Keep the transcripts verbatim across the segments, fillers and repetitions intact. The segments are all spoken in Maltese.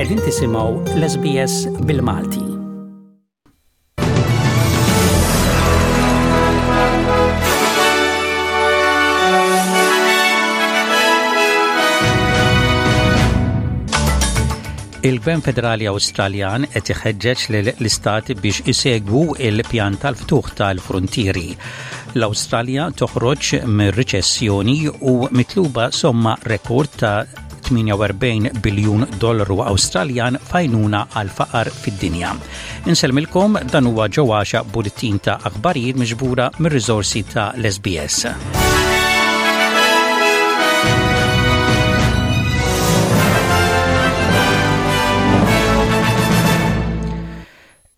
Qegħdin tisimgħu l-S B S bil-Malti. Il-Gvern Federali Awstraljan qed iħeġġeġ lill-istati biex isegwu il-pjan tal-ftuħ tal-frontieri. L-Awstralja toħroġ mir-riċessjoni u mitluba somma rekord ta' tmienja u erbgħin biljun dollaru Awstraljan f'għajnuna għal faqar fid-dinja. Insellmilkom, dan huwa ġewwaxa bulletin ta' aħbarijiet miġbura mir-riżorsi ta' l-S B S.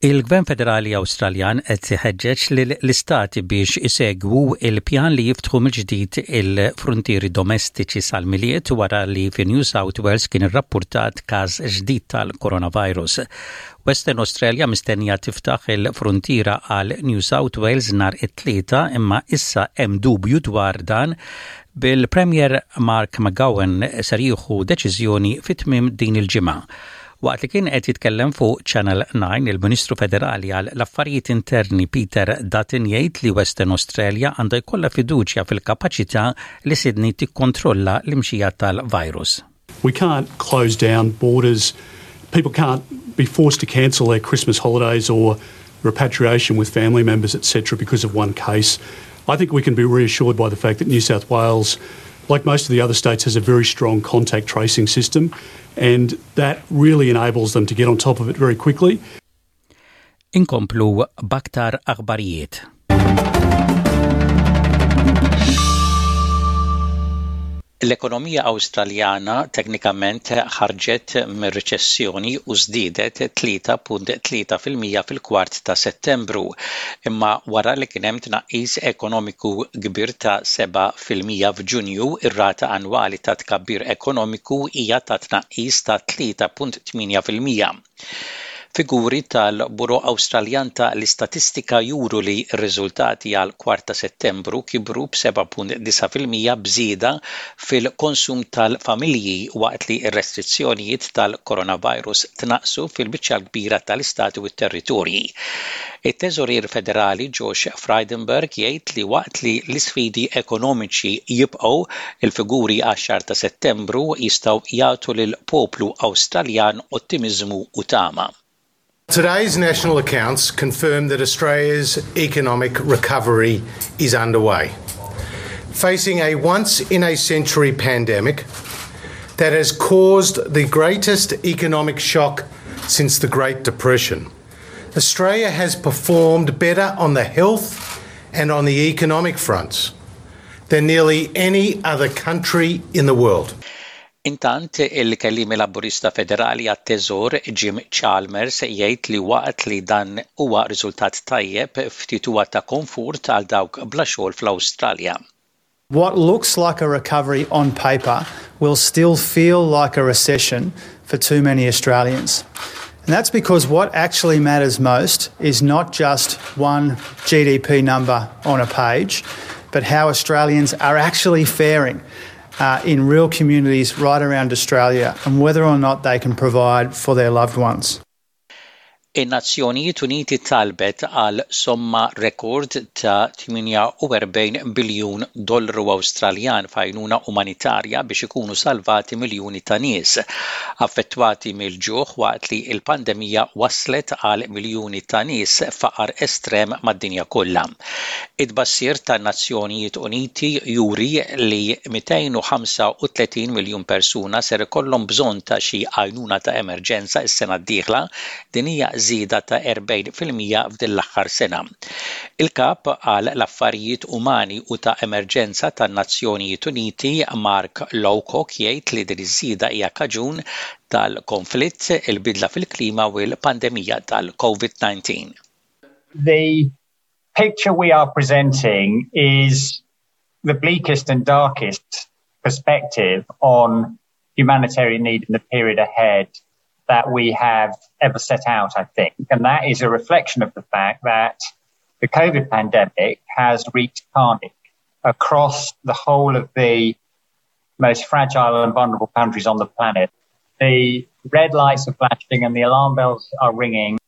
Il-Gvern Federali Awstraljan qed iħeġġeġ lill-istati biex isegwu il-pjan li jiftħu mill-ġdid il-frontieri domestiċi sal-Milied wara li fi New South Wales kien irrappurtat każ ġdid tal-coronavirus. Western Australia mistennija tiftaħ il-frontiera għal New South Wales nhar it-Tlieta, imma issa hemm dubju dwar dan, bil-Premier Mark McGowan ser jieħu deċiżjoni fit-tmiem din il-ġimgħa. Waqt li kien qed jitkellem fuq Channel nine, il-Ministru Federali għal l-Affarijiet Interni Peter Dutton jgħid li Western Australia għandha jkollha fiduċja fil-kapaċità li Sydney tikkontrolla l-imxija tal-virus. We can't close down borders. People can't be forced to cancel their Christmas holidays or repatriation with family members, et cetera, because of one case. I think we can be reassured by the fact that New South Wales, like most of the other states, has a very strong contact tracing system, and that really enables them to get on top of it very quickly. Inkomplu b'aktar aħbarijiet. L-ekonomija Awstraljana teknikament ħarġet mir-riċessjoni u żdiedet tlieta punt tlieta fil-mija fil-kwart ta' Settembru, imma wara li kien hemm tnaqqis ekonomiku kbir ta' seba' fil-mija f'Ġunju, ir-rata annwali ta' tkabbir ekonomiku hija ta' tnaqqis ta' tlieta punt tmienja fil-mija. Figuri tal-Bureau Awstraljan ta' l-Istatistika juru li r-riżultati għal kwart ta' Settembru kibru b'seba' punt disgħa fil-mija b'żieda fil-konsum tal-familji waqt li r-restrizzjonijiet tal-coronavirus tnaqsu fil-biċċa kbira tal-istati u t-territorji. Il-Teżorier Federali Josh Frydenberg jgħid li waqt li l-isfidi ekonomiċi jibqgħu, il-figuri għax-xahar ta' Settembru jistgħu jagħtu lil poplu Awstraljan ottimiżmu u tama. Today's national accounts confirm that Australia's economic recovery is underway. Facing a once in a century pandemic that has caused the greatest economic shock since the Great Depression, Australia has performed better on the health and on the economic fronts than nearly any other country in the world. Intant, il-kellimi Laburista Federali għat-Teżor Jim Chalmers jgħid li waqt li dan huwa riżultat tajjeb, ftit huwa ta' komfort għal dawk bla xogħol fl-Awstralja. What looks like a recovery on paper will still feel like a recession for too many Australians. And that's because what actually matters most is not just one G D P number on a page, but how Australians are actually faring uh, in real communities right around Australia and whether or not they can provide for their loved ones. In-Nazzjonijiet Uniti talbet għal somma rekord ta' tmienja u erbgħin biljun dollaru Awstraljan f'għajnuna umanitarja biex ikunu salvati miljuni ta' nies affettwati mill-ġuħ waqt li l-pandemija waslet għal miljuni ta' nies faqar estrem mad-dinja kollha. It-tbassir tan-Nazzjonijiet Uniti juri li mitejn u ħamsa u tletin miljun persuna ser ikollhom bżonn ta' xi għajnuna ta' emerġenza s-sena d-dieħla. Din hija żieda ta' erbgħin fil-mija f'din l-aħħar sena. Il-kap għal l-affarijiet umani u ta' emerġenza tan-Nazzjonijiet Uniti Mark Lowcock jgħid li din iż-żieda hija kaġun tal-konflitt, il-bidla fil-klima u l-pandemija tal-COVID nineteen. The picture we are presenting is the bleakest and darkest perspective on humanitarian need in the period ahead that we have ever set out, I think. And that is a reflection of the fact that the COVID pandemic has wreaked carnage across the whole of the most fragile and vulnerable countries on the planet. The red lights are flashing and the alarm bells are ringing.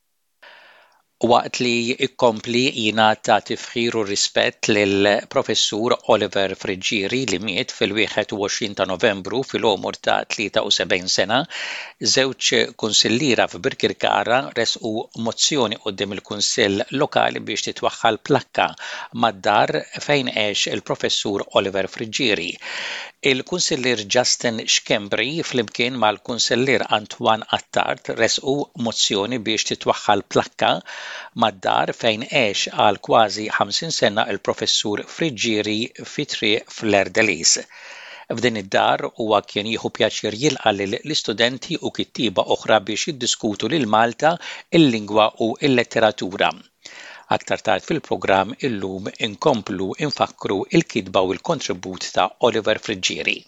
Waqt li jkompli jingħata tifħir u rispett lil Professur Oliver Friggieri li miet fil-wieħed u għoxrin ta' Novembru fil-għomor ta' tlieta u sebgħin sena, żewġ kunsilliera f'Birkirkara resqu mozzjoni quddiem il-Kunsill Lokali biex titwaħħal plakka mad-dar fejn għex il-Professur Oliver Friggieri. Il-Kunsillier Justin Schembri flimkien mal-Kunsillier Antoine Attard resqu mozzjoni biex titwaħħal plakka mad-dar fejn għex għal kważi ħamsin sena il-Professur Friggieri fi Triq Fleur de Lis. F'din id-dar huwa kien jieħu pjaċir jilqa' lill-istudenti u kittieba oħra biex jiddiskutu lil Malta, il-lingwa u l-letteratura. Aktar tard fil-programm illum inkomplu infakru il-kitba u l-kontribut ta' Oliver Friggieri.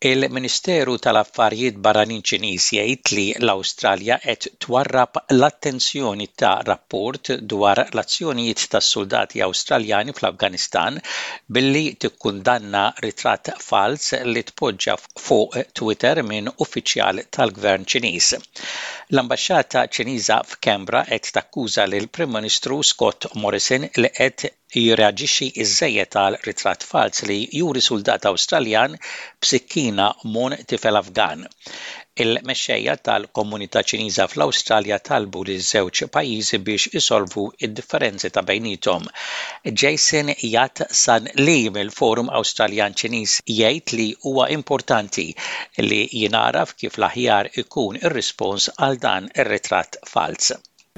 Il-Ministeru tal-Affarijiet Barranin Ċiniż jgħid li l-Awstralja qed twarrab l-attenzjoni ta' rapport dwar l-azzjonijiet tas-soldati Awstraljani fl-Afganistan billi tikkundanna ritratt fals li tpoġġa fuq Twitter minn uffiċjal tal-Gvern Ċiniż. L-Ambaxxata Ċiniża f'Canberra qed takkuża lil Prim Ministru Scott Morrison li qed jirreaġixxi iżżejjed għal ritratt fals li juri soldat Awstraljan b'sikkina m'għonq tifel Afgan. Il-mexxejja tal-komunità Ċiniża fl-Awstralja talbu li żewġ pajjiżi biex isolvu id-differenzi ta' bejniethom. Jason Yat San Li mill-Forum Awstraljan Ċiniż jgħid li huwa importanti li jingħaraf kif l-aħjar ikun ir-rispons għal dan ir-ritratt fals.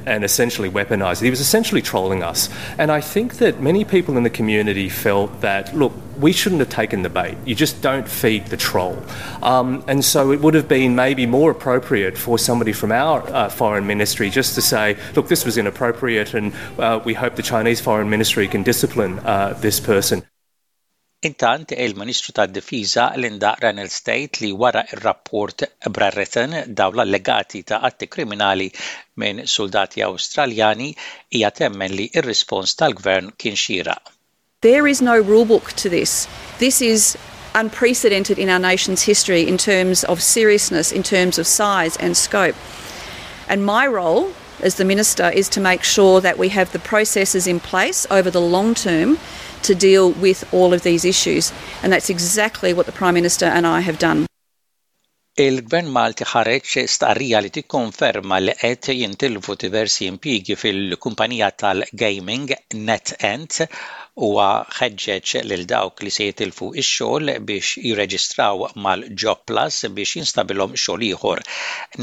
And essentially weaponized it. He was essentially trolling us. And I think that many people in the community felt that, look, we shouldn't have taken the bait. You just don't feed the troll. Um, and so it would have been maybe more appropriate for somebody from our uh, foreign ministry just to say, look, this was inappropriate and uh, we hope the Chinese foreign ministry can discipline uh, this person. Intant, il-Ministru tad-Difiża Linda Reynolds tgħid li wara ir-rapport Brereton dwar l-allegati ta' atti kriminali minn soldati Awstraljani hija temmen li ir-rispons tal-gvern kien xieraq. There is no rulebook to this. This is unprecedented in our nation's history in terms of seriousness, in terms of size and scope. And my role as the Minister is to make sure that we have the processes in place over the long term to deal with all of these issues. And that's exactly what the Prime Minister and I have done. Il-Gvern Malti ħareġ stqarrija li tikkonferma li qed jintilfu diversi impjiegi fil-kumpanija tal-gaming NetEnt u ħeġġeġ lil dawk li se jitilfu ix-xogħol biex jirreġistraw mal-Job Plus biex jinstabilhom xogħol ieħor.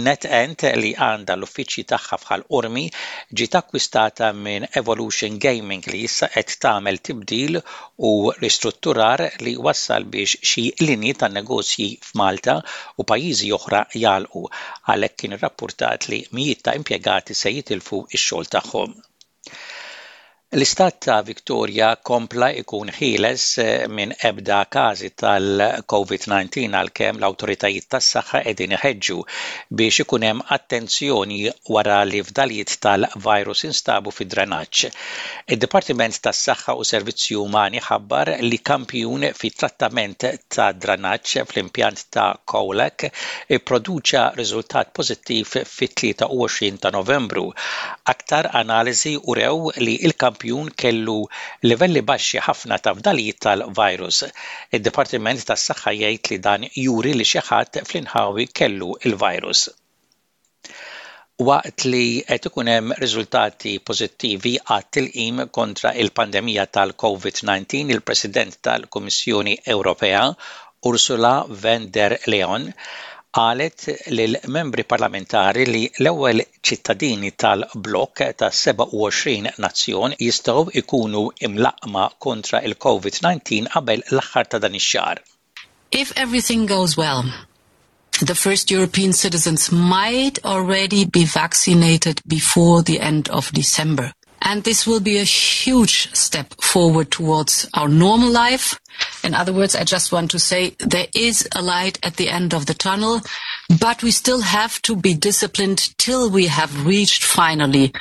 NetEnt, li għandha l-uffiċċji tagħha f'Ħal Qormi, ġiet akkwistata minn Evolution Gaming li issa qed tagħmel tibdil u ristrutturar li wassal biex xi linji tan-negozji f'Malta u pajjiżi oħra jagħlqu. Għalhekk kien irrappurtat li mijiet ta' impjegati se jitilfu x-xogħol tagħhom. L-istat ta' Victoria kompla ikun ħieles eh, minn ebda każi tal-COVID nineteen għalkemm l-awtoritajiet tas-saħħa qegħdin iħeġġu biex ikun hemm attenzjoni wara li fdalijiet tal-virus instabu fid-drenaġġ. Id-Dipartiment tas-Saħħa u Servizzi Umani ħabbar li kampjun fit trattament ta' drenaġġ fl-impjant ta' Colac ipproduċa riżultat pożittiv fit-tlieta u għoxrin ta' Novembru. Aktar analiżi urew li il-kampjun kampjun kellu livelli baxxi ħafna ta' fdalijiet tal-virus. Id-Dipartiment tas-Saħħa jgħid li dan juri li xi ħadd fl-inħawi kellu il-virus. Waqt li qed ikun hemm riżultati pożittivi għat-tilqim kontra il-pandemija tal-COVID nineteen, il-President tal-Kummissjoni Ewropea Ursula von der Leyen qalet lil membri parlamentari li l-ewwel ċittadini tal-blok ta' sebgħa u għoxrin nazzjon jistgħu ikunu imlaqqma kontra il-COVID nineteen qabel l-aħħar ta' dan ix-xahar. If everything goes well, the first European citizens might already be vaccinated before the end of December. And this will be a huge step forward towards our normal life. In other words, I just want to say there is a light at the end of the tunnel, but we still have to be disciplined till we have reached finally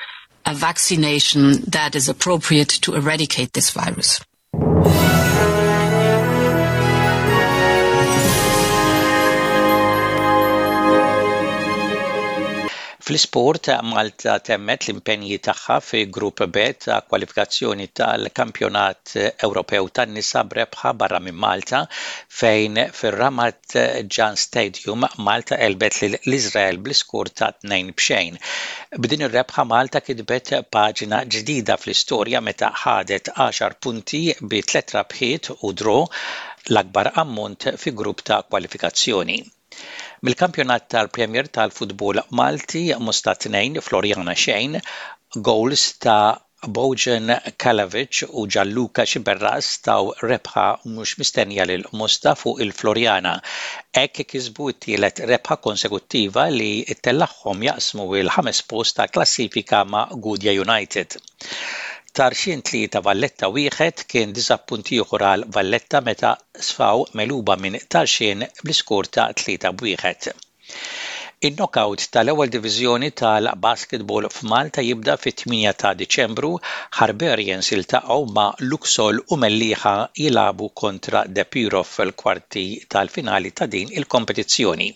a vaccination that is appropriate to eradicate this virus. Fl-isport, Malta temmet l-impenji tagħha fi Grupp B ta' kwalifikazzjoni tal-Kampjonat Ewropew tan-nisa b'rebħa barra minn Malta, fejn fir-Ramat Gan Stadium Malta għelbet lil l-Iżrael bl-iskur ta' tnejn b'xejn. B'din ir-rebħa Malta kitbet paġna ġdida fl-istorja meta ħadet għaxar punti bi tliet rebħiet u draw, l-akbar ammont fi grupp ta' kwalifikazzjoni. Mill-kampjonat tal-Premier tal-Futbol Malti, Mosta tnejn, Floriana xejn, goals ta' Bojan Kalavic u Gianluca Sciberras taw rebħa mhux mistennija lil Mosta fuq il-Floriana. Hekk kisbu t-tielet rebħa konsekuttiva li ttellagħhom jaqsmu il-ħames post ta' klassifika ma' Gudja United. Tarxien tlieta, Valletta wieħed kien diżappunt ieħor għal Valletta meta sfaw megħluba minn Tarxien bl-iskur ta' tlieta b'wieħed. In-knockout tal-ewwel diviżjoni tal-basketball f'Malta jibda fit-tmienja ta' Diċembru. Hibernians jiltaqgħu ma' Luxol u Mellieħa jilagħbu kontra Depiro fil-kwarti tal-finali ta' din il-kompetizzjoni.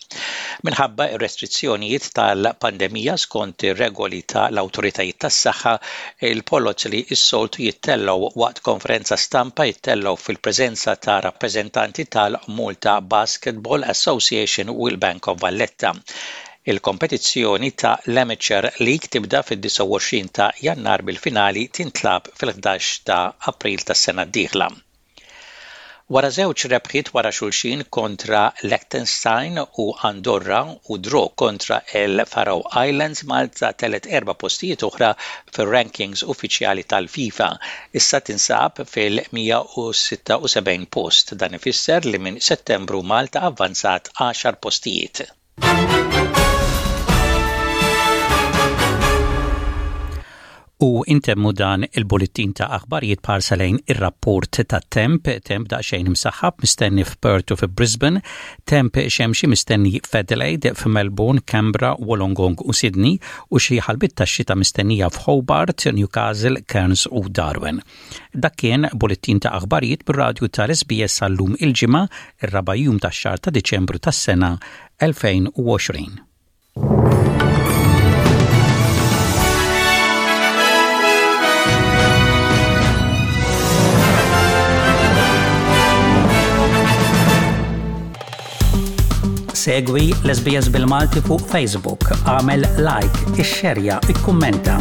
Minħabba ir-restrizzjonijiet tal-pandemija skont ir-regoli tal-awtoritajiet tas-saħħa, il-poloz li s-soltu jittellgħu waqt konferenza stampa jittellgħu fil-preżenza ta' rappreżentanti tal-Malta Basketball Association u l-Bank of Valletta. Il-kompetizzjoni ta' l-Amateur League tibda fid-disgħa u għoxrin ta' Jannar, bil-finali tintlagħab fil-ħdax ta' April tas-sena d-dieħla. Wara żewġ rebħiet wara xulxin kontra Liechtenstein u Andorra u draw kontra il Faroe Islands, Malta telgħet erba' postijiet oħra fir-rankings uffiċjali tal-FIFA. Issa tinsab fil-mija u sitta u sebgħin post. Dan ifisser li minn Settembru Malta avvanzat għaxar postijiet. U intemmu dan il-bullettin ta' aħbarijiet b'ħarsa lejn ir-rapport ta' temp, temp daqsxejn imsaħħab mistenni f'Perth u fi Brisbane, temp xemxi mistenni f'Adelaide, f'Melbourne, Canberra, Wollongong u Sydney u xi ħalbiet ta' xita mistennija f'Hobart, Newcastle, Cairns u Darwin. Dak kien bullettin ta' aħbarijiet bir-radju tal-S B S għal-lum il-Ġimgħa, ir-raba' jum tax-xahar ta' Diċembru tas-sena elfejn u għoxrin. Segwi l-S B S bil-Malti fuq Facebook, għamel like, ixxerja, ikkummenta.